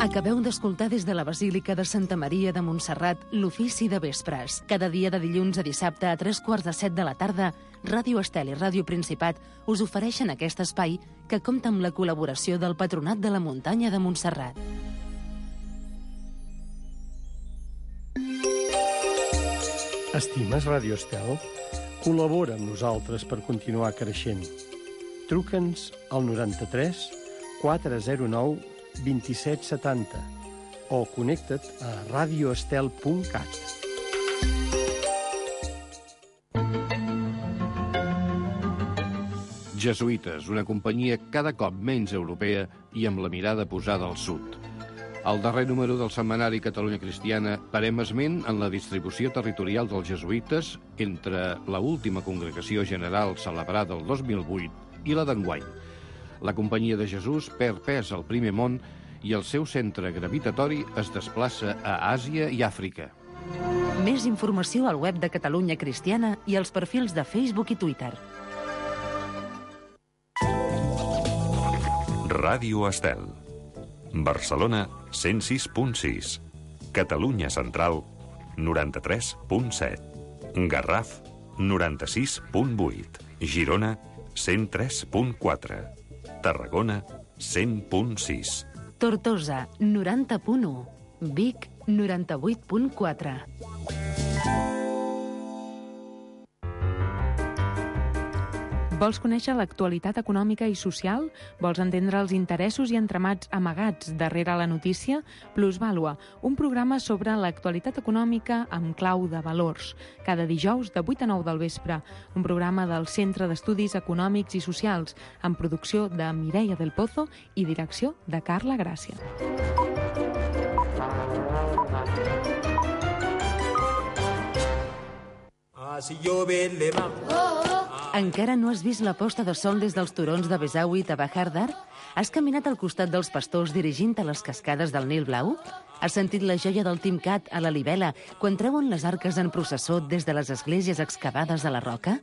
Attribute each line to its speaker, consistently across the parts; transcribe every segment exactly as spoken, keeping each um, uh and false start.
Speaker 1: Acabeu d'escoltar des de la Basílica de Santa Maria de Montserrat l'Ofici de Vespres. Cada dia de dilluns a dissabte a tres quarts de set de la tarda, Ràdio Estel i Ràdio Principat us ofereixen aquest espai que compta amb la col·laboració del Patronat de la Muntanya de Montserrat.
Speaker 2: Estimes Ràdio Estel? Col·labora amb nosaltres per continuar creixent. Truca'ns al noranta-tres quatre zero nou vint-i-set setanta o connecta't a radioestel punt cat.
Speaker 3: Jesuïtes, una companyia cada cop menys europea i amb la mirada posada al sud. Al darrer número del setmanari Catalunya Cristiana parem esment en la distribució territorial dels jesuïtes entre la última congregació general celebrada el dos mil vuit i la d'enguany. La Companyia de Jesús perd pes al primer món i el seu centre gravitatori es desplaça a Àsia i Àfrica.
Speaker 1: Més informació al web de Catalunya Cristiana i als perfils de Facebook i Twitter.
Speaker 4: Ràdio Estel. Barcelona, cent sis punt sis. Catalunya Central, noranta-tres punt set. Garraf, noranta-sis punt vuit. Girona, cent tres punt quatre. Tarragona, cent punt sis.
Speaker 1: Tortosa, noranta punt u. Vic, noranta-vuit punt quatre.
Speaker 5: Vols conèixer l'actualitat econòmica i social? Vols entendre els interessos i entramats amagats darrere la notícia? Plusvàlua, un programa sobre l'actualitat econòmica amb clau de valors. Cada dijous de vuit a nou del vespre. Un programa del Centre d'Estudis Econòmics i Socials, amb producció de Mireia del Pozo i direcció de Carla Gràcia.
Speaker 6: Ah, si llove el lema...
Speaker 1: Encara no has vist la posta de sol des dels turons de Besaüit a Bahar Dar? Has caminat al costat dels pastors dirigint a les cascades del Nil Blau? Has sentit la joia del Timcat a la Libela quan treuen les arques en processó des de les esglésies excavades a la roca?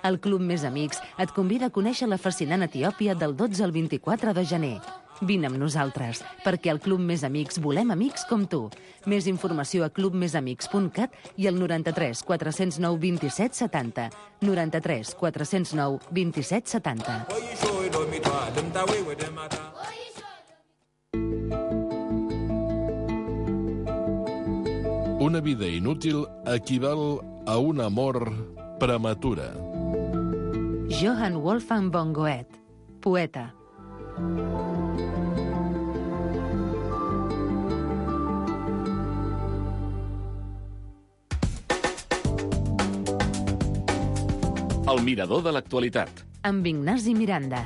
Speaker 1: El Club Més Amics et convida a conèixer la fascinant Etiòpia del dotze al vint-i-quatre de gener. Vine amb nosaltres, perquè al Club Més Amics volem amics com tu. Més informació a club més amics punt cat i al noranta-tres quatre zero nou vint-i-set setanta. noranta-tres quatre zero nou vint-i-set setanta.
Speaker 7: Una vida inútil equival a un amor prematura.
Speaker 1: Johann Wolfgang von Goethe, poeta.
Speaker 8: El mirador de l'actualitat.
Speaker 1: Amb Ignasi Miranda.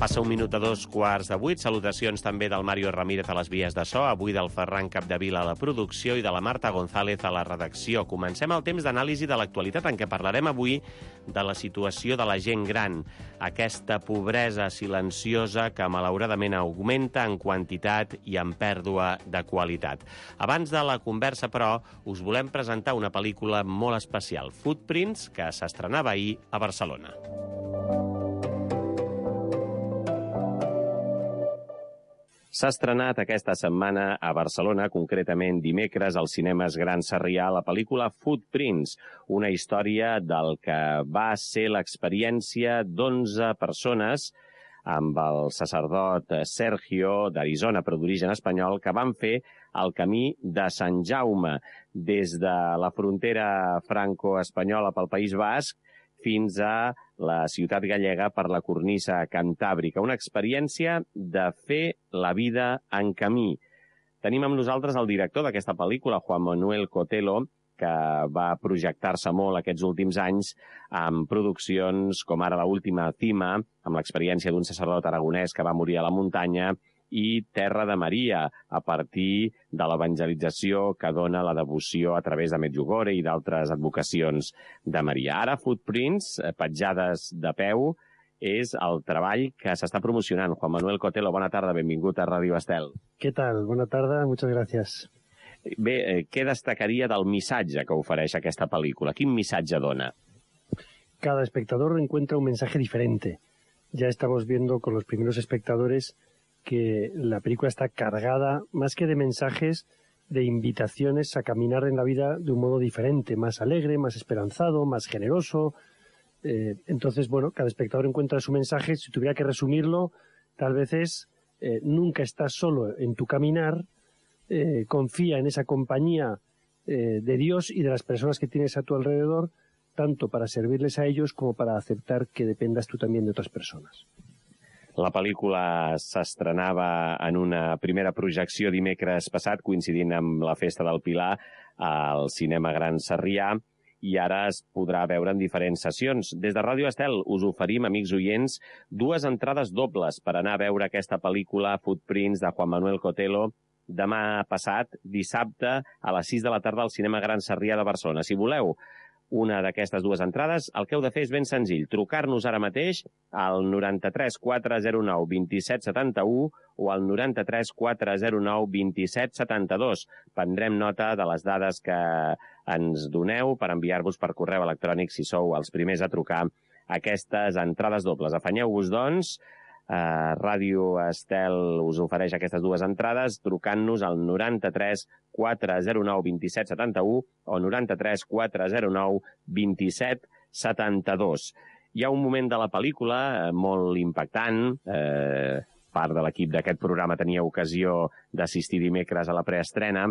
Speaker 9: Passa un minut a dos quarts de vuit. Salutacions també del Mario Ramírez a les vies de so, avui del Ferran Capdevila a la producció i de la Marta González a la redacció. Comencem el temps d'anàlisi de l'actualitat en què parlarem avui de la situació de la gent gran. Aquesta pobresa silenciosa que malauradament augmenta en quantitat i en pèrdua de qualitat. Abans de la conversa, però, us volem presentar una pel·lícula molt especial, Footprints, que s'estrenava ahir a Barcelona. S'ha estrenat aquesta setmana a Barcelona, concretament dimecres, als cinemes Gran Sarrià, la pel·lícula Footprints, una història del que va ser l'experiència d'onze persones amb el sacerdot Sergio, d'Arizona, però d'origen espanyol, que van fer el camí de Sant Jaume, des de la frontera franco-espanyola pel País Basc fins a la ciutat gallega per la cornisa cantàbrica. Una experiència de fer la vida en camí. Tenim amb nosaltres el director d'aquesta pel·lícula, Juan Manuel Cotelo, que va projectar-se molt aquests últims anys amb produccions com ara l'última Cima, amb l'experiència d'un sacerdot aragonès que va morir a la muntanya, i Terra de Maria, a partir de l'evangelització que dona la devoció a través de Medjugorje i d'altres advocacions de Maria. Ara, Footprints, petjades de peu, és el treball que s'està promocionant. Juan Manuel Cotelo, bona tarda, benvingut a Ràdio Estel.
Speaker 2: ¿Qué tal? Buena tarde, muchas gracias.
Speaker 9: Bé, eh, què destacaria del missatge que ofereix aquesta pel·lícula? Quin missatge dona?
Speaker 2: Cada espectador encuentra un mensaje diferente. Ya estamos viendo con los primeros espectadores que la película está cargada, más que de mensajes, de invitaciones a caminar en la vida de un modo diferente, más alegre, más esperanzado, más generoso. Eh, entonces, bueno, cada espectador encuentra su mensaje. Si tuviera que resumirlo, tal vez es, eh, nunca estás solo en tu caminar, eh, confía en esa compañía eh, de Dios y de las personas que tienes a tu alrededor, tanto para servirles a ellos como para aceptar que dependas tú también de otras personas.
Speaker 9: La pel·lícula s'estrenava en una primera projecció dimecres passat, coincidint amb la Festa del Pilar, al Cinema Gran Sarrià, i ara es podrà veure en diferents sessions. Des de Ràdio Estel us oferim, amics oients, dues entrades dobles per anar a veure aquesta pel·lícula Footprints de Juan Manuel Cotelo demà passat, dissabte, a les sis de la tarda al Cinema Gran Sarrià de Barcelona. Si voleu una d'aquestes dues entrades, el que heu de fer és ben senzill, trucar-nos ara mateix al noranta-tres quatre zero nou vint-i-set setanta-u o al noranta-tres quatre zero nou vint-i-set setanta-dos. Prendrem nota de les dades que ens doneu per enviar-vos per correu electrònic si sou els primers a trucar aquestes entrades dobles. Afanyeu-vos, doncs, Uh, Ràdio Estel us ofereix aquestes dues entrades trucant-nos al noranta-tres quatre zero nou vint-i-set setanta-u o noranta-tres quatre zero nou vint-i-set setanta-dos. Hi ha un moment de la pel·lícula eh, molt impactant. Eh, part de l'equip d'aquest programa tenia ocasió d'assistir dimecres a la preestrena.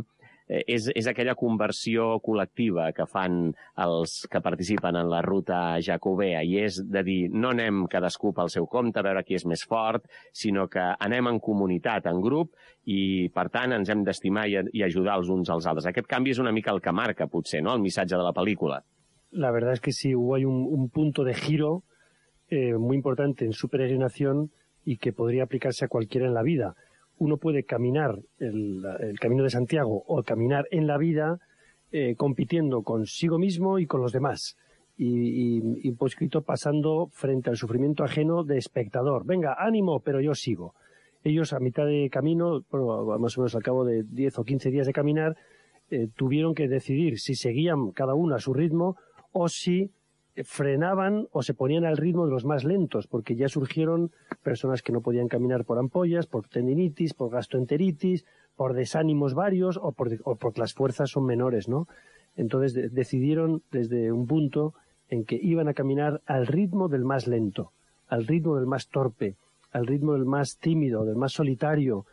Speaker 9: Eh, és, és aquella conversió col·lectiva que fan els que participen en la ruta jacobea, i és de dir, no anem cadascú pel seu compte a veure qui és més fort, sinó que anem en comunitat, en grup, i per tant ens hem d'estimar i, i ajudar els uns als altres. Aquest canvi és una mica el que marca, potser, ¿no?, el missatge de la pel·lícula.
Speaker 2: La verdad es que sí, hubo ahí un, un punto de giro eh, muy importante en su peregrinación y que podría aplicarse a cualquiera en la vida. Uno puede caminar el, el Camino de Santiago o caminar en la vida eh, compitiendo consigo mismo y con los demás. Y, y, y pues escrito pasando frente al sufrimiento ajeno de espectador. Venga, ánimo, pero yo sigo. Ellos a mitad de camino, bueno, más o menos al cabo de diez o quince días de caminar, eh, tuvieron que decidir si seguían cada uno a su ritmo o si frenaban o se ponían al ritmo de los más lentos, porque ya surgieron personas que no podían caminar por ampollas, por tendinitis, por gastroenteritis, por desánimos varios o, por, o porque las fuerzas son menores, ¿no? Entonces de, decidieron desde un punto en que iban a caminar al ritmo del más lento, al ritmo del más torpe, al ritmo del más tímido, del más solitario,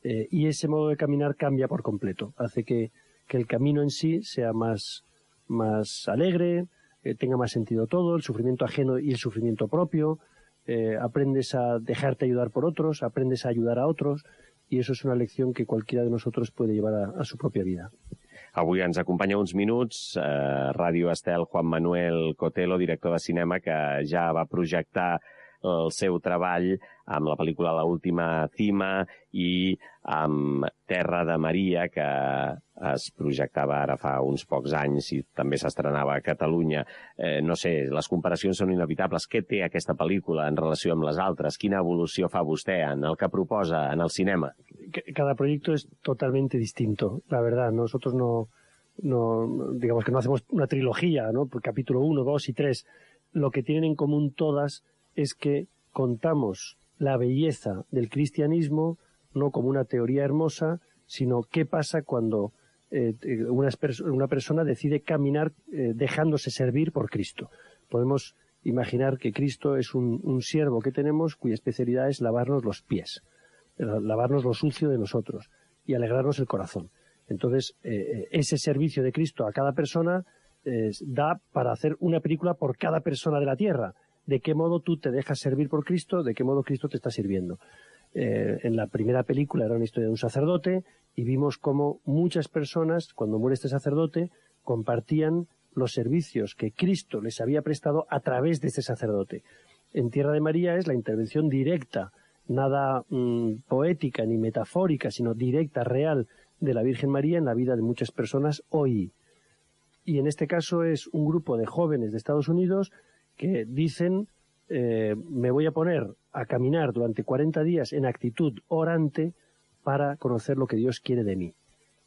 Speaker 2: eh, y ese modo de caminar cambia por completo, hace que, que el camino en sí sea más, más alegre, eh, tenga más sentido todo, el sufrimiento ajeno y el sufrimiento propio, eh, aprendes a dejarte ayudar por otros, aprendes a ayudar a otros, y eso es una lección que cualquiera de nosotros puede llevar a, a su propia vida.
Speaker 9: Avui ens acompanya uns minuts eh, Ràdio Estel Juan Manuel Cotelo, director de cinema, que ja va projectar el seu treball amb la pel·lícula L'última cima i amb Terra de Maria, que es projectava ara fa uns pocs anys i també s'estrenava a Catalunya. Eh, no sé, les comparacions són inevitables. Què té aquesta pel·lícula en relació amb les altres? Quina evolució fa vostè en el que proposa en el cinema?
Speaker 2: Cada proyecto es totalmente distinto, la verdad. Nosotros no, no digamos que no hacemos una trilogía, ¿no? Por capítulo uno, dos y tres. Lo que tienen en común todas es que contamos la belleza del cristianismo no como una teoría hermosa, sino qué pasa cuando eh, una, una persona decide caminar eh, dejándose servir por Cristo. Podemos imaginar que Cristo es un, un siervo que tenemos cuya especialidad es lavarnos los pies, lavarnos lo sucio de nosotros y alegrarnos el corazón. Entonces, eh, ese servicio de Cristo a cada persona eh, da para hacer una película por cada persona de la tierra. De qué modo tú te dejas servir por Cristo, de qué modo Cristo te está sirviendo. Eh, en la primera película era una historia de un sacerdote y vimos cómo muchas personas, cuando muere este sacerdote, compartían los servicios que Cristo les había prestado a través de este sacerdote. En Tierra de María es la intervención directa, nada mmm, poética ni metafórica, sino directa, real, de la Virgen María en la vida de muchas personas hoy. Y en este caso es un grupo de jóvenes de Estados Unidos que dicen, eh, me voy a poner a caminar durante cuarenta días en actitud orante para conocer lo que Dios quiere de mí.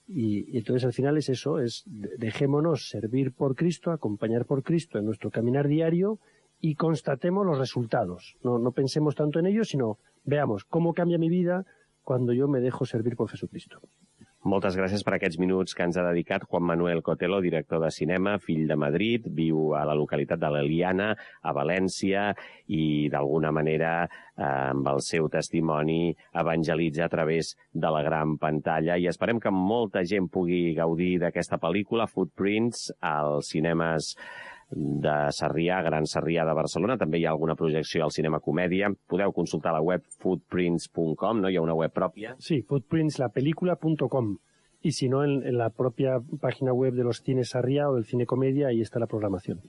Speaker 2: Y, y entonces al final es eso, es dejémonos servir por Cristo, acompañar por Cristo en nuestro caminar diario y constatemos los resultados. No, no pensemos tanto en ellos, sino veamos cómo cambia mi vida cuando yo me dejo servir por Jesucristo.
Speaker 9: Moltes gràcies per aquests minuts que ens ha dedicat Juan Manuel Cotelo, director de cinema, fill de Madrid, viu a la localitat de l'Eliana, a València, i d'alguna manera, eh, amb el seu testimoni, evangelitza a través de la gran pantalla. I esperem que molta gent pugui gaudir d'aquesta pel·lícula, Footprints, als cinemes de Sarrià, Gran Sarrià de Barcelona. També hi ha alguna projecció al Cinema Comèdia. Podeu consultar la web footprints punt com, ¿no? Hi ha una web pròpia.
Speaker 2: Sí, footprints la película punto com. Y si no, en, en la propia página web de los cines Sarrià o del Cine Comedia, ahí está la programación.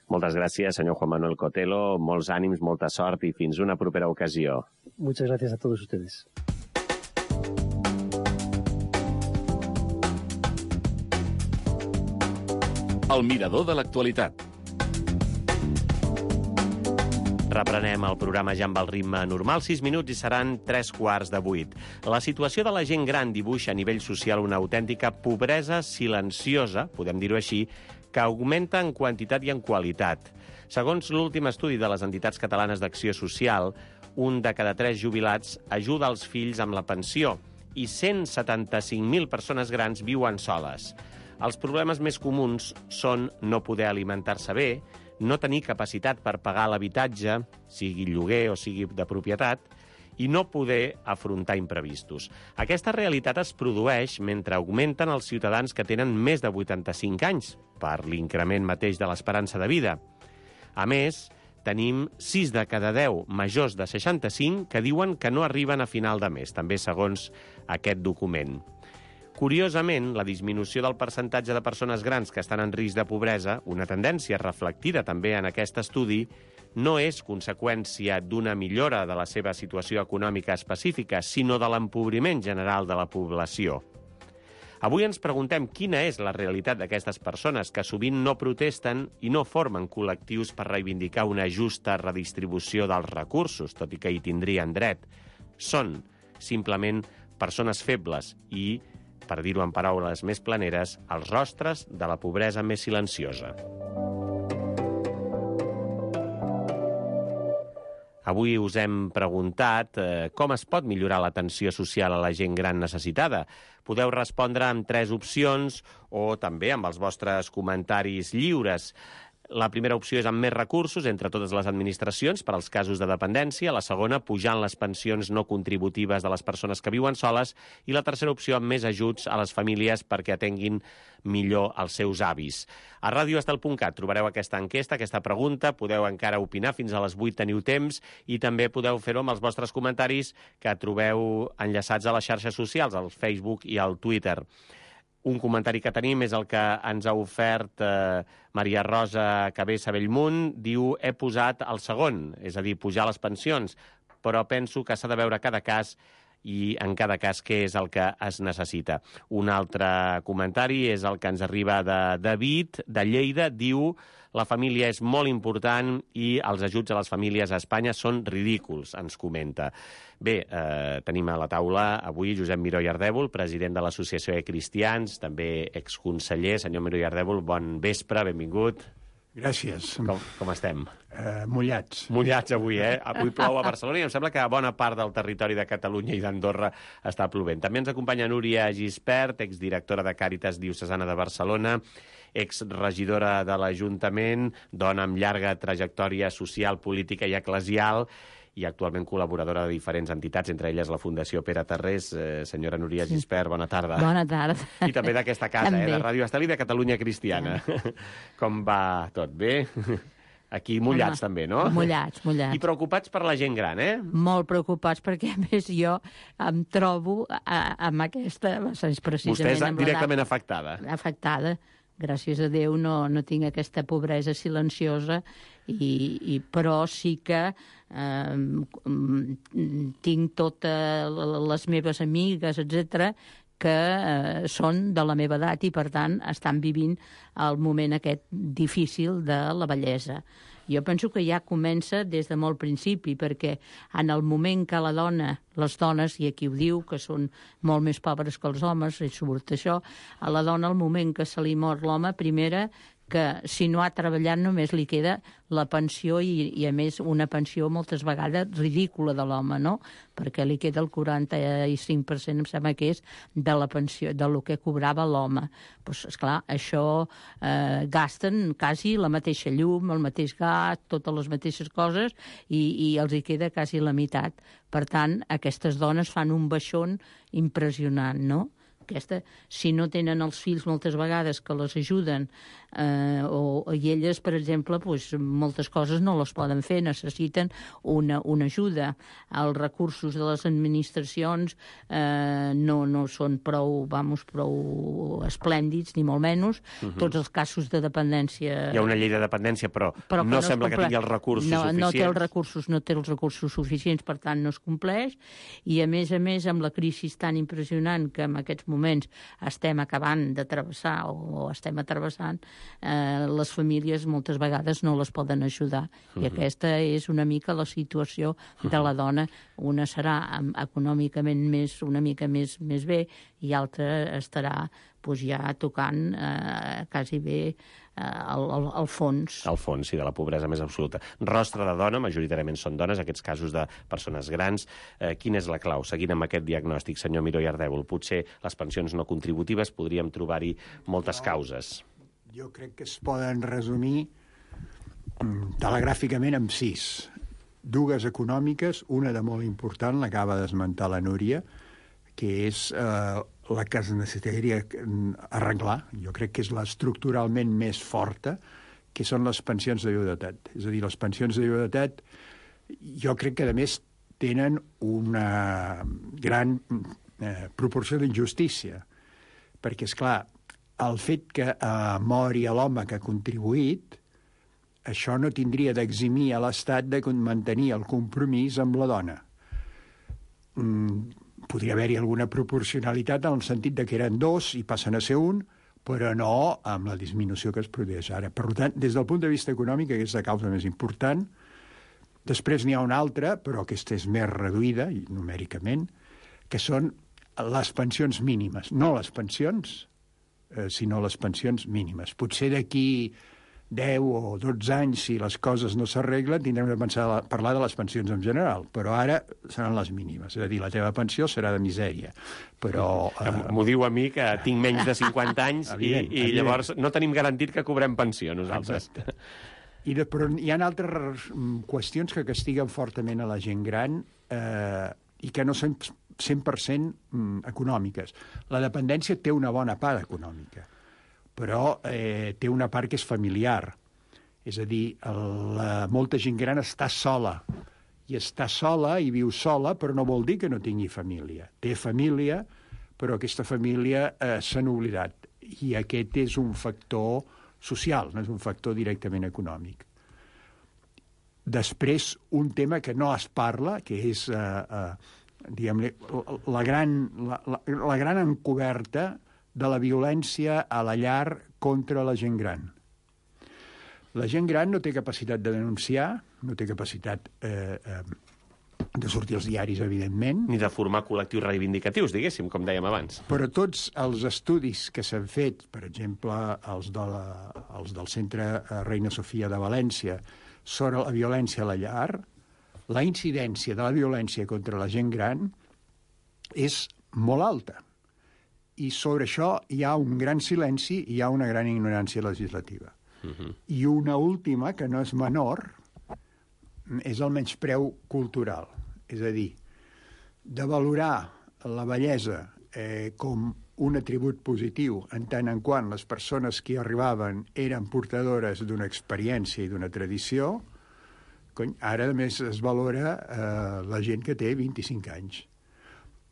Speaker 9: Moltes gràcies, senyor Juan Manuel Cotelo. Molts ànims, molta sort i fins una propera ocasió.
Speaker 2: Muchas gracias a todos ustedes.
Speaker 8: El mirador de l'actualitat.
Speaker 9: Reprenem el programa ja amb el ritme normal, sis minuts i seran tres quarts de vuit. La situació de la gent gran dibuixa a nivell social una autèntica pobresa silenciosa, podem dir-ho així, que augmenta en quantitat i en qualitat. Segons l'últim estudi de les entitats catalanes d'acció social, un de cada tres jubilats ajuda els fills amb la pensió i cent setanta-cinc mil persones grans viuen soles. Els problemes més comuns són no poder alimentar-se bé, no tenir capacitat per pagar l'habitatge, sigui lloguer o sigui de propietat, i no poder afrontar imprevistos. Aquesta realitat es produeix mentre augmenten els ciutadans que tenen més de vuitanta-cinc anys, per l'increment mateix de l'esperança de vida. A més, tenim sis de cada deu majors de seixanta-cinc que diuen que no arriben a final de mes, també segons aquest document. Curiosament, la disminució del percentatge de persones grans que estan en risc de pobresa, una tendència reflectida també en aquest estudi, no és conseqüència d'una millora de la seva situació econòmica específica, sinó de l'empobriment general de la població. Avui ens preguntem quina és la realitat d'aquestes persones que sovint no protesten i no formen col·lectius per reivindicar una justa redistribució dels recursos, tot i que hi tindrien dret. Són, simplement, persones febles i, per dir-ho en paraules més planeres, els rostres de la pobresa més silenciosa. Avui us hem preguntat eh, com es pot millorar l'atenció social a la gent gran necessitada. Podeu respondre amb tres opcions o també amb els vostres comentaris lliures. La primera opció és amb més recursos entre totes les administracions per als casos de dependència, la segona pujant les pensions no contributives de les persones que viuen soles i la tercera opció amb més ajuts a les famílies perquè atenguin millor els seus avis. A radio estel punt cat trobareu aquesta enquesta, aquesta pregunta, podeu encara opinar, fins a les vuit teniu temps i també podeu fer-ho amb els vostres comentaris que trobeu enllaçats a les xarxes socials, al Facebook i al Twitter. Un comentari que tenim és el que ens ha ofert eh, Maria Rosa Cabessa Bellmunt. Diu, he posat el segon, és a dir, pujar les pensions, però penso que s'ha de veure cada cas i en cada cas què és el que es necessita. Un altre comentari és el que ens arriba de David, de Lleida. Diu, la família és molt important i els ajuts a les famílies a Espanya són ridículs, ens comenta. Bé, eh, tenim a la taula avui Josep Miró i Ardèvol, president de l'Associació de Cristians, també exconseller. Senyor Miró i Ardèvol, bon vespre, benvingut.
Speaker 10: Gràcies.
Speaker 9: Com, com estem?
Speaker 10: Uh, mullats.
Speaker 9: Mullats avui, eh? Avui plou a Barcelona i em sembla que a bona part del territori de Catalunya i d'Andorra està plovent. També ens acompanya Núria Gispert, exdirectora de Càritas Diocesana de Barcelona, exregidora de l'Ajuntament, dona amb llarga trajectòria social, política i eclesial, i actualment col·laboradora de diferents entitats, entre elles la Fundació Pere Tarrés. Eh, senyora Núria Gispert, bona tarda.
Speaker 5: Bona tarda.
Speaker 9: I també d'aquesta casa, eh, de Ràdio Estel i de Catalunya Cristiana. Ja. Com va tot? Bé? Aquí mullats, Home, també, no?
Speaker 5: Mullats, mullats.
Speaker 9: I preocupats per la gent gran, eh?
Speaker 5: Molt preocupats, perquè, a més, jo em trobo a, amb aquesta... Precisament
Speaker 9: Vostè és
Speaker 5: amb
Speaker 9: directament afectada.
Speaker 5: Afectada. Gràcies a Déu no, no tinc aquesta pobresa silenciosa, i, i, però sí que eh, tinc totes les meves amigues, etcètera, que eh, són de la meva edat i, per tant, estan vivint el moment aquest difícil de la vellesa. Jo penso que ja comença des de molt principi, perquè en el moment que la dona, les dones, i aquí ho diu, que són molt més pobres que els homes, i surt això, a la dona, al moment que se li mor l'home, primera
Speaker 11: que si no ha treballat només li queda la pensió i, i a més una pensió moltes vegades ridícula de l'home, no? Perquè li queda el quaranta-cinc per cent, em sembla que és, de la pensió, de lo que cobrava l'home. Doncs, esclar, això eh, gasten quasi la mateixa llum, el mateix gas, totes les mateixes coses, i, i els hi queda quasi la meitat. Per tant, aquestes dones fan un baixón impressionant, no? Aquesta, si no tenen els fills moltes vegades que les ajuden, eh, o, i elles, per exemple, pues, moltes coses no les poden fer, necessiten una, una ajuda. Els recursos de les administracions eh, no, no són prou, vamos, prou esplèndids, ni molt menys. Uh-huh. Tots els casos de dependència...
Speaker 9: Hi ha una llei de dependència, però, però no, no sembla que tingui els recursos
Speaker 11: no,
Speaker 9: suficients.
Speaker 11: No té els recursos, no té els recursos suficients, per tant no es compleix, i a més a més amb la crisi tan impressionant que en aquests moments estem acabant de travessar o estem atravessant, eh, les famílies moltes vegades no les poden ajudar. Uh-huh. I aquesta és una mica la situació de la dona. Una serà econòmicament més, una mica més, més bé, i altra estarà pues, ja tocant eh, quasi bé al, al, al fons.
Speaker 9: Al fons, sí, de la pobresa més absoluta. Rostre de dona, majoritàriament són dones, aquests casos de persones grans. Eh, quina és la clau? Seguint amb aquest diagnòstic, senyor Miró i Ardèvol, potser les pensions no contributives podríem trobar-hi moltes causes.
Speaker 10: Jo crec que es poden resumir telegràficament amb sis. Dues econòmiques, una de molt important, l'acaba d'esmentar la Núria, que és eh, la que es necessitaria arreglar, jo crec que és l'estructuralment més forta, que són les pensions de viudetat. És a dir, les pensions de viudetat, jo crec que, a més, tenen una gran eh, proporció d'injustícia, perquè, és clar, el fet que eh, mori l'home que ha contribuït, això no tindria d'eximir a l'Estat de mantenir el compromís amb la dona. Mm, podria haver-hi alguna proporcionalitat en el sentit de que eren dos i passen a ser un, però no amb la disminució que es produeix ara. Per tant, des del punt de vista econòmic, aquesta és la causa més important. Després n'hi ha una altra, però aquesta és més reduïda, numèricament, que són les pensions mínimes. No les pensions, eh, sinó les pensions mínimes. Potser d'aquí deu o dotze anys, si les coses no s'arreglen, tindrem de pensar a parlar de les pensions en general, però ara seran les mínimes. És a dir, la teva pensió serà de misèria. Però...
Speaker 9: Eh... M'ho diu a mi, que tinc menys de cinquanta anys evident, i, i evident. Llavors no tenim garantit que cobrem pensió, nosaltres.
Speaker 10: Exacte. I de, però hi ha altres qüestions que castiguen fortament a la gent gran eh, i que no són cent per cent econòmiques. La dependència té una bona part econòmica, però eh, té una part que és familiar. És a dir, la, molta gent gran està sola, i està sola i viu sola, però no vol dir que no tingui família. Té família, però aquesta família eh, s'han oblidat, i aquest és un factor social, no és un factor directament econòmic. Després, un tema que no es parla, que és eh, eh, diguem-ne, la gran, la, la, la gran encoberta de la violència a la llar contra la gent gran. La gent gran no té capacitat de denunciar, no té capacitat eh, eh, de sortir als diaris, evidentment.
Speaker 9: Ni de formar col·lectius reivindicatius, diguéssim, com dèiem abans.
Speaker 10: Però tots els estudis que s'han fet, per exemple, els, de la, els del Centre Reina Sofia de València, sobre la violència a la llar, la incidència de la violència contra la gent gran és molt alta. I sobre això hi ha un gran silenci i hi ha una gran ignorància legislativa. Uh-huh. I una última, que no és menor, és el menyspreu cultural. És a dir, de valorar la bellesa eh, com un atribut positiu en tant en quant les persones que hi arribaven eren portadores d'una experiència i d'una tradició, cony, ara a més es valora eh, la gent que té vint-i-cinc anys.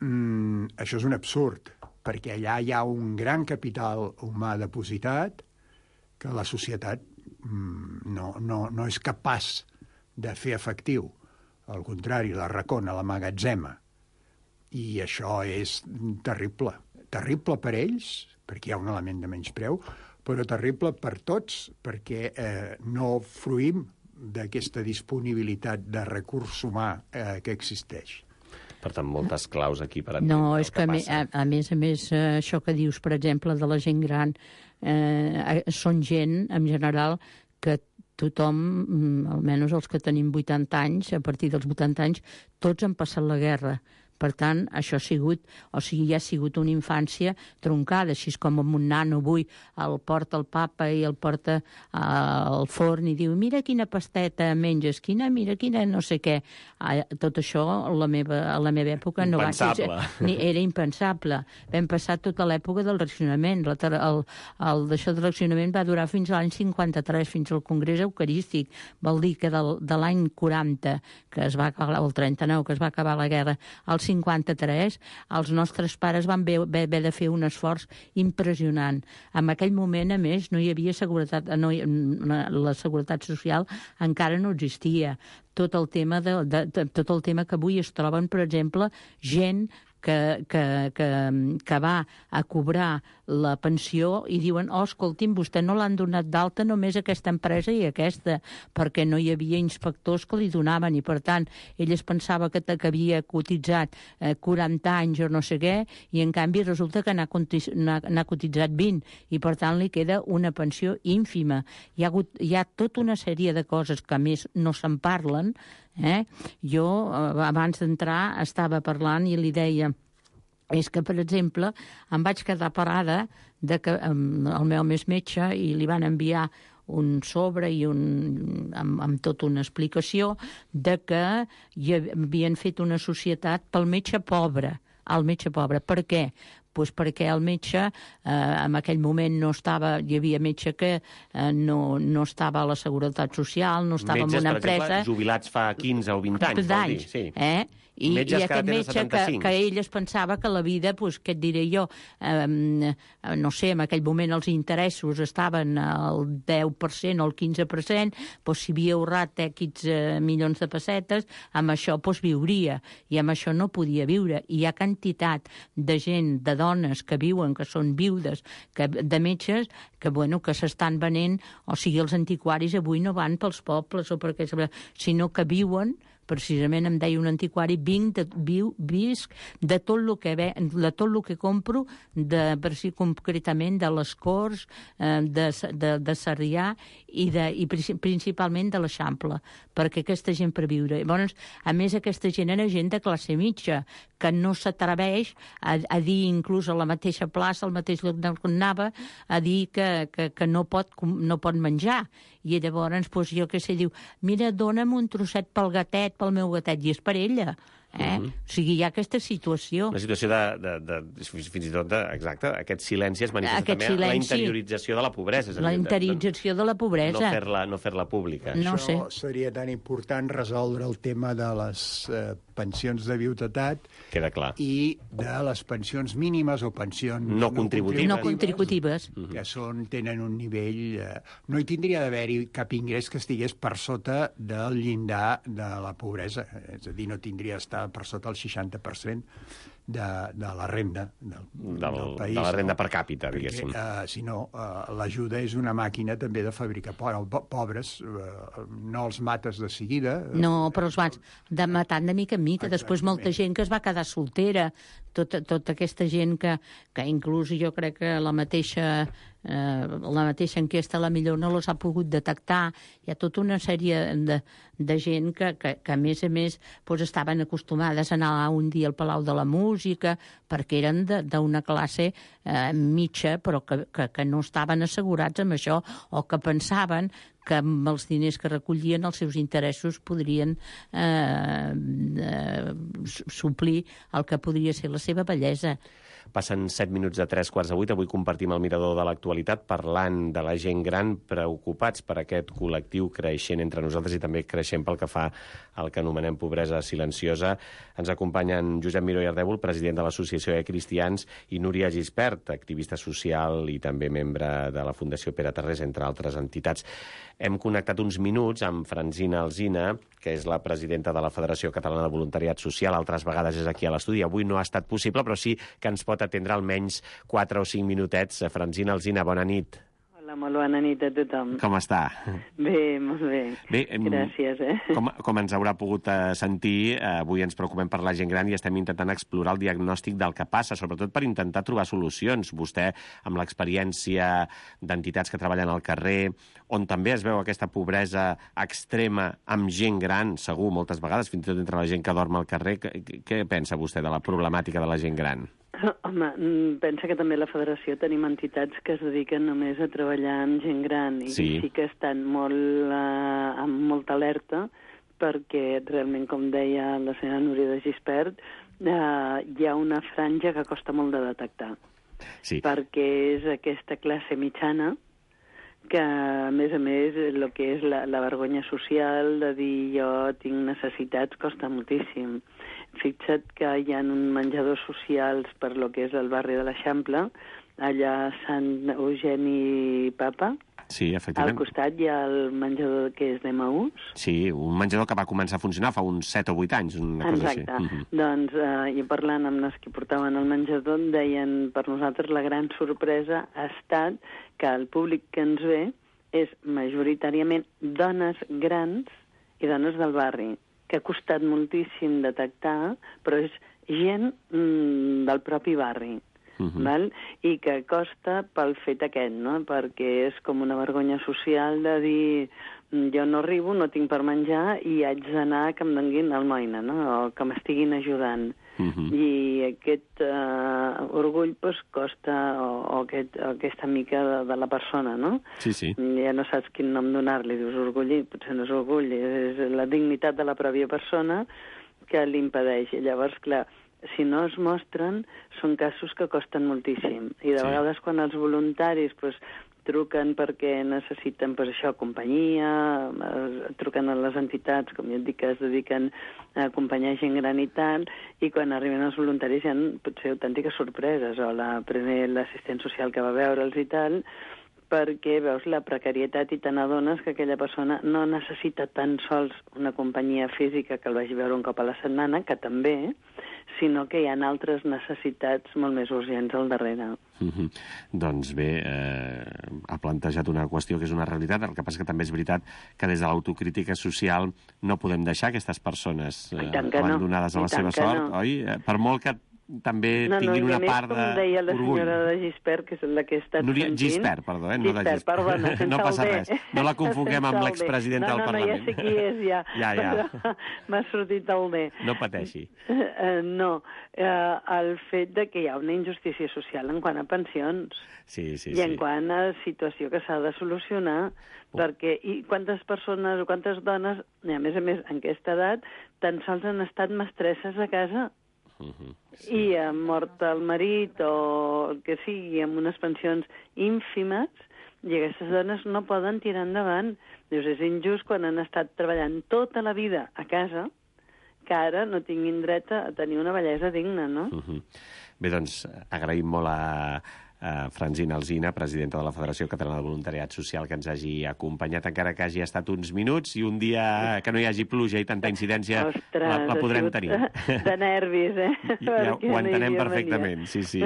Speaker 10: Mm, això és un absurd, perquè allà hi ha un gran capital humà depositat que la societat mm, no, no, no és capaç de fer efectiu. Al contrari, la racona, la magatzema. I això és terrible. Terrible per ells, perquè hi ha un element de menyspreu, però terrible per tots, perquè eh, no fruïm d'aquesta disponibilitat de recurs humà eh, que existeix.
Speaker 9: Per tant, moltes claus aquí per
Speaker 11: entendre no, és que, que a, a més a més, això que dius, per exemple, de la gent gran, eh, són gent, en general, que tothom, almenys els que tenim vuitanta anys, a partir dels vuitanta anys, tots han passat la guerra. Per tant, això ha sigut, o sigui, ja ha sigut una infància troncada, així com amb un nano avui el porta el papa i el porta al forn i diu, mira quina pasteta menges, quina, mira quina no sé què. Tot això a la meva, a la meva època no va ser... Era impensable. Vam passar tota l'època del racionament. El, el, el d'això del racionament va durar fins a l'any cinquanta-tres, fins al Congrés Eucarístic. Vol dir que del, de l'any quaranta, que es va acabar, el trenta-nou, que es va acabar la guerra, al cinquanta-tres, els nostres pares van haver, haver de fer un esforç impressionant. En aquell moment, a més, no hi havia seguretat, no, la seguretat social encara no existia. Tot el tema, de, de, de, tot el tema que avui es troben, per exemple, gent que, que, que, que va a cobrar la pensió i diuen, oh, escolti'm, vostè no l'han donat d'alta només aquesta empresa i aquesta, perquè no hi havia inspectors que li donaven i, per tant, ell es pensava que, que havia cotitzat eh, quaranta anys o no sé què, i en canvi resulta que n'ha cotitzat vint, i per tant li queda una pensió ínfima. Hi ha, hagut, hi ha tota una sèrie de coses que a més no se'n parlen. Eh? Jo, abans d'entrar, estava parlant i li deia és que, per exemple, em vaig quedar parada de que um, el meu més metge i li van enviar un sobre i un, amb, amb tota una explicació de que hi havien fet una societat pel metge pobre, el metge pobre. Per què? Pues perquè el metge eh, en aquell moment no estava, hi havia metge que eh, no, no estava a la Seguretat Social, no estava
Speaker 9: Metges,
Speaker 11: en una
Speaker 9: per
Speaker 11: empresa...
Speaker 9: Metges, jubilats fa quinze o vint anys, vol dir. Sí.
Speaker 11: Eh? I, i aquest metge que, que ell es pensava que la vida, pues, què et diré jo, eh, no sé, en aquell moment els interessos estaven al deu per cent o al quinze per cent, pues, si havia ahorrat X eh, milions de pessetes, amb això pues, viuria, i amb això no podia viure. I hi ha quantitat de gent, de dones que viuen, que són viudes, que, de metges, que, bueno, que s'estan venent, o sigui, els antiquaris avui no van pels pobles, o perquè, sinó que viuen. Precisament em deia un antiquari, vinc de, viu, visc de tot el que, ve, de tot el que compro, de, per si concretament de les Corts, eh, de, de, de Sarrià i, de, i principalment de l'Eixample, perquè aquesta gent per viure. Llavors, a més, aquesta gent era gent de classe mitja, que no s'atreveix a, a dir, inclús a la mateixa plaça, al mateix lloc on anava, a dir que, que, que no, pot, no pot menjar. I llavors, doncs, jo què sé, diu, mira, dona'm un trosset pel gatet, pel meu gatet, i és per ella. Eh? Mm-hmm. O sigui, hi ha aquesta situació.
Speaker 9: Una situació de, de, de fins i tot, de, exacte, aquest silenci es manifesta aquest també silenci, la interiorització de la pobresa.
Speaker 11: La interiorització de, de la pobresa.
Speaker 9: No fer-la no fer-la pública.
Speaker 11: No
Speaker 10: Això
Speaker 11: sé.
Speaker 10: Seria tan important resoldre el tema de les eh, pensions de viudetat.
Speaker 9: Queda clar.
Speaker 10: I de les pensions mínimes o pensions
Speaker 9: no, no contributives,
Speaker 11: no contributives
Speaker 10: que són, tenen un nivell... Eh, no hi tindria d'haver-hi cap ingrés que estigués per sota del llindar de la pobresa. És a dir, no tindria d'estar per sota el seixanta per cent de, de la renda del,
Speaker 9: del,
Speaker 10: del país.
Speaker 9: De la renda
Speaker 10: no?
Speaker 9: per càpita, diguéssim.
Speaker 10: Perquè, uh, si no, uh, l'ajuda és una màquina també de fabricar pobres. Uh, no els mates de seguida.
Speaker 11: No, però els vas de matant de mica en mica. Exactament. Després molta gent que es va quedar soltera, tota, tota aquesta gent que, que inclús jo crec que la mateixa... Eh, la mateixa enquesta la millor no les ha pogut detectar. Hi ha tota una sèrie de, de gent que, que, que a més a més doncs, estaven acostumades a anar un dia al Palau de la Música perquè eren d'una classe eh, mitja però que, que, que no estaven assegurats amb això o que pensaven que amb els diners que recollien els seus interessos podrien eh, eh, suplir el que podria ser la seva bellesa.
Speaker 9: Passen set minuts de tres quarts de vuit. Avui compartim el mirador de l'actualitat parlant de la gent gran, preocupats per aquest col·lectiu creixent entre nosaltres i també creixent pel que fa al que anomenem pobresa silenciosa. Ens acompanyen Josep Miró i Ardèvol, president de l'Associació de Cristians, i Núria Gispert, activista social i també membre de la Fundació Pere Tarrés, entre altres entitats. Hem connectat uns minuts amb Francina Alsina, que és la presidenta de la Federació Catalana de Voluntariat Social. Altres vegades és aquí a l'estudi. Avui no ha estat possible, però sí que ens pot atendre almenys quatre o cinc minutets. Francina Alsina, bona nit.
Speaker 12: Hola, Hola, molt bona nit a tothom.
Speaker 13: Com està?
Speaker 12: Bé, molt bé.
Speaker 13: Bé,
Speaker 12: gràcies, eh?
Speaker 13: Com, com ens haurà pogut eh, sentir, eh, avui ens preocupem per la gent gran i estem intentant explorar el diagnòstic del que passa, sobretot per intentar trobar solucions. Vostè, amb l'experiència d'entitats que treballen al carrer, on també es veu aquesta pobresa extrema amb gent gran, segur, moltes vegades, fins i tot entre la gent que dorm al carrer, què, què pensa vostè de la problemàtica de la gent gran?
Speaker 12: Home, pensa que també a la Federació tenim entitats que es dediquen només a treballar amb gent gran i sí, sí que estan molt, uh, amb molta alerta perquè realment, com deia la senyora Núria de Gispert, uh, hi ha una franja que costa molt de detectar. Sí. Perquè és aquesta classe mitjana que, a més a més, el que és la, la vergonya social de dir jo tinc necessitats costa moltíssim. Fixa't que hi ha un menjadors socials per lo que és el barri de l'Eixample, allà a Sant Eugeni Papa.
Speaker 13: Sí, efectivament.
Speaker 12: Al costat hi ha el menjador que és d'Emaús.
Speaker 13: Sí, un menjador que va començar a funcionar fa uns set o vuit anys, una cosa així.
Speaker 12: Exacte. Mm-hmm. Doncs, eh, i parlant amb els que portaven el menjador, em deien, per nosaltres la gran sorpresa ha estat que el públic que ens ve és majoritàriament dones grans i dones del barri, que ha costat moltíssim detectar, però és gent mm, del propi barri. Uh-huh. Val? I que costa pel fet aquest, no? Perquè és com una vergonya social de dir jo no arribo, no tinc per menjar i haig d'anar que em donin almoina, no? O que m'estiguin ajudant. Uh-huh. I aquest uh, orgull pues, costa, o, o, aquest, o aquesta mica de, de la persona, no?
Speaker 13: Sí, sí.
Speaker 12: Ja no saps quin nom donar-li, dius orgull, potser no és orgull, és la dignitat de la pròpia persona que l'impedeix. I llavors, clar, si no es mostren, són casos que costen moltíssim. I de sí. vegades quan els voluntaris pues, truquen perquè necessiten pues, això, companyia, truquen a les entitats, com ja et dic, que es dediquen a acompanyar gent gran i tal, i quan arriben els voluntaris hi ha potser autèntiques sorpreses, o la, l'assistent social que va veure'ls i tal, perquè veus la precarietat i te n'adones que aquella persona no necessita tan sols una companyia física que el vagi a veure un cop a la setmana, que també, sinó que hi ha altres necessitats molt més urgents al darrere.
Speaker 13: Mm-hmm. Doncs bé, eh, ha plantejat una qüestió que és una realitat, el que passa que també és veritat que des de l'autocrítica social no podem deixar aquestes persones eh, abandonades
Speaker 12: no.
Speaker 13: a la seva sort, no. oi? Per molt que també
Speaker 12: no,
Speaker 13: tinguin
Speaker 12: no,
Speaker 13: una part de...
Speaker 12: No, com deia la senyora de Gispert, que és la que he estat
Speaker 13: Núria
Speaker 12: sentint...
Speaker 13: Gispert, perdó, eh? No
Speaker 12: Gispert,
Speaker 13: de Gispert.
Speaker 12: Perdona,
Speaker 13: no passa res. No la confonguem amb l'expresidenta
Speaker 12: no,
Speaker 13: del
Speaker 12: no,
Speaker 13: Parlament.
Speaker 12: No, ja sé qui és, ja.
Speaker 13: ja, ja.
Speaker 12: M'ha sortit el D.
Speaker 13: No pateixi.
Speaker 12: Uh, no, uh, el fet de que hi ha una injustícia social en quant a pensions
Speaker 13: sí, sí,
Speaker 12: i en
Speaker 13: sí.
Speaker 12: quant a situació que s'ha de solucionar, oh. perquè i quantes persones o quantes dones, i a més a més en aquesta edat, tan sols han estat mestresses a casa. Uh-huh. Sí. I ha mort el marit o el que sigui amb unes pensions ínfimes i aquestes dones no poden tirar endavant. Dius, és injust quan han estat treballant tota la vida a casa que ara no tinguin dret a tenir una bellesa digna, no?
Speaker 13: Uh-huh. Bé, doncs, agraïm molt a, a Francina Alsina, presidenta de la Federació Catalana de Voluntariat Social, que ens hagi acompanyat, encara que hagi estat uns minuts, i un dia que no hi hagi pluja i tanta incidència
Speaker 12: Ostres,
Speaker 13: la, la podrem tenir.
Speaker 12: De nervis, eh?
Speaker 13: Ja ho entenem perfectament, sí, sí.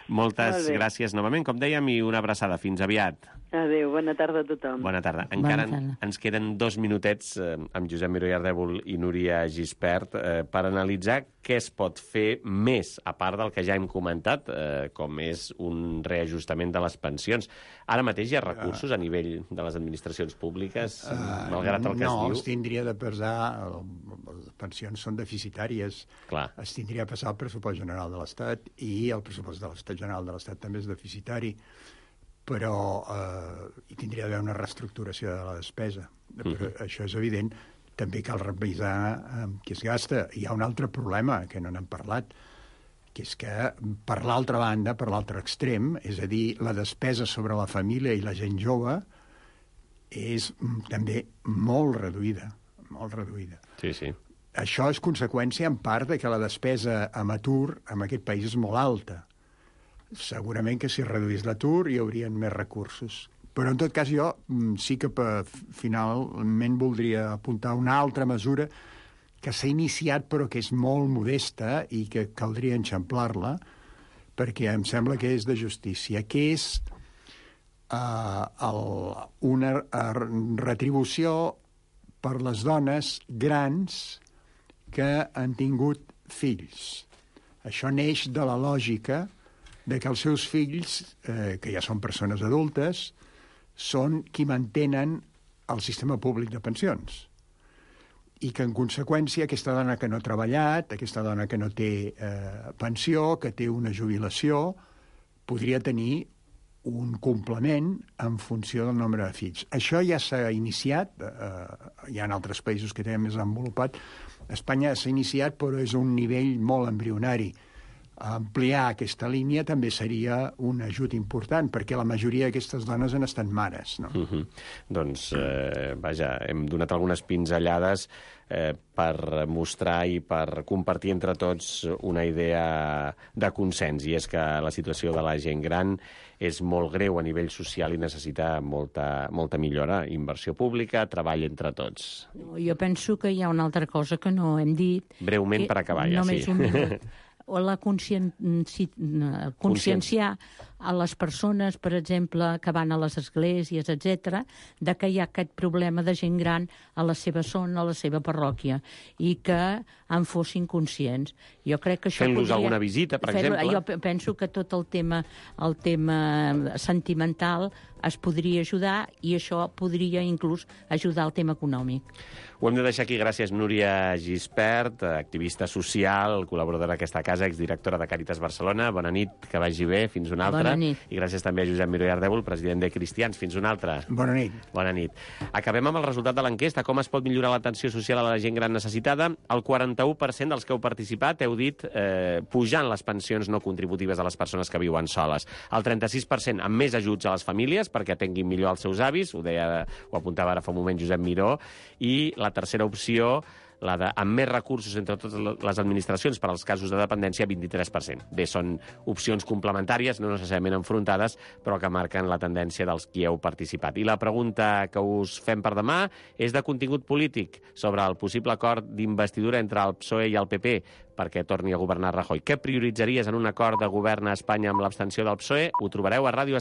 Speaker 13: Moltes gràcies novament, com dèiem, i una abraçada. Fins aviat.
Speaker 12: Adéu, bona tarda a tothom.
Speaker 13: Bona tarda. Encara bona tarda. Ens queden dos minutets eh, amb Josep Miró i Ardèvol i Núria Gispert eh, per analitzar què es pot fer més, a part del que ja hem comentat, eh, com és un reajustament de les pensions. Ara mateix hi ha recursos a nivell de les administracions públiques, uh, malgrat el que
Speaker 10: no,
Speaker 13: es diu?
Speaker 10: No, es tindria de pesar, les pensions són deficitàries,
Speaker 13: Clar.
Speaker 10: Es tindria de passar el pressupost general de l'Estat i el pressupost de l'Estat general de l'Estat també és deficitari, però eh, hi tindria d'haver una reestructuració de la despesa. Però uh-huh. això és evident. També cal revisar eh, què es gasta. Hi ha un altre problema que no n'hem parlat, que és que, per l'altra banda, per l'altre extrem, és a dir, la despesa sobre la família i la gent jove és també molt reduïda, molt reduïda.
Speaker 13: Sí, sí.
Speaker 10: Això és conseqüència, en part, de que la despesa amb atur en aquest país és molt alta. Segurament que si reduís l'atur hi haurien més recursos. Però, en tot cas, jo sí que finalment voldria apuntar una altra mesura que s'ha iniciat però que és molt modesta i que caldria enxamplar-la, perquè em sembla que és de justícia, que és uh, el, una retribució per les dones grans que han tingut fills. Això neix de la lògica de que els seus fills, eh, que ja són persones adultes, són qui mantenen el sistema públic de pensions. I que, en conseqüència, aquesta dona que no ha treballat, aquesta dona que no té eh, pensió, que té una jubilació, podria tenir un complement en funció del nombre de fills. Això ja s'ha iniciat, eh, hi ha altres països que tenen més desenvolupat. A Espanya s'ha iniciat, però és un nivell molt embrionari. Ampliar aquesta línia també seria un ajut important, perquè la majoria d'aquestes dones han estat mares, no?
Speaker 13: Uh-huh. Doncs, eh, vaja, hem donat algunes pinzellades eh, per mostrar i per compartir entre tots una idea de consens, i és que la situació de la gent gran és molt greu a nivell social i necessita molta, molta millora, inversió pública, treball entre tots.
Speaker 11: Jo penso que hi ha una altra cosa que no hem dit.
Speaker 13: Breument per acabar, ja,
Speaker 11: només
Speaker 13: sí.
Speaker 11: Un minut. O la consciència, conscienciar a les persones, per exemple, que van a les esglésies, etcètera, de que hi ha aquest problema de gent gran a la seva zona, a la seva parròquia, i que en fossin conscients. Jo crec que això
Speaker 13: Fent-los
Speaker 11: podria...
Speaker 13: alguna visita, per exemple.
Speaker 11: Jo penso que tot el tema, el tema sentimental es podria ajudar, i això podria inclús ajudar al tema econòmic.
Speaker 13: Ho hem de deixar aquí. Gràcies, Núria Gispert, activista social, col·laboradora d'aquesta casa, exdirectora de Càritas Barcelona. Bona nit, que vagi bé. Fins una altra.
Speaker 11: Bona nit.
Speaker 13: I gràcies també a Josep Miró i Ardèvol, president de Cristians. Fins una altra.
Speaker 10: Bona nit.
Speaker 13: Bona nit. Acabem amb el resultat de l'enquesta. Com es pot millorar l'atenció social a la gent gran necessitada? El quaranta-u per cent dels que heu participat heu dit eh, pujant les pensions no contributives a les persones que viuen soles. El trenta-sis per cent amb més ajuts a les famílies perquè atenguin millor els seus avis, ho deia, ho apuntava ara fa un moment Josep Miró, i la tercera opció, la de amb més recursos entre totes les administracions per als casos de dependència, vint-i-tres per cent. Bé, són opcions complementàries, no necessàriament enfrontades, però que marquen la tendència dels qui heu participat. I la pregunta que us fem per demà és de contingut polític sobre el possible acord d'investidura entre el P S O E i el P P perquè torni a governar Rajoy. Què prioritzaries en un acord de govern a Espanya amb l'abstenció del P S O E? Ho trobareu a Ràdio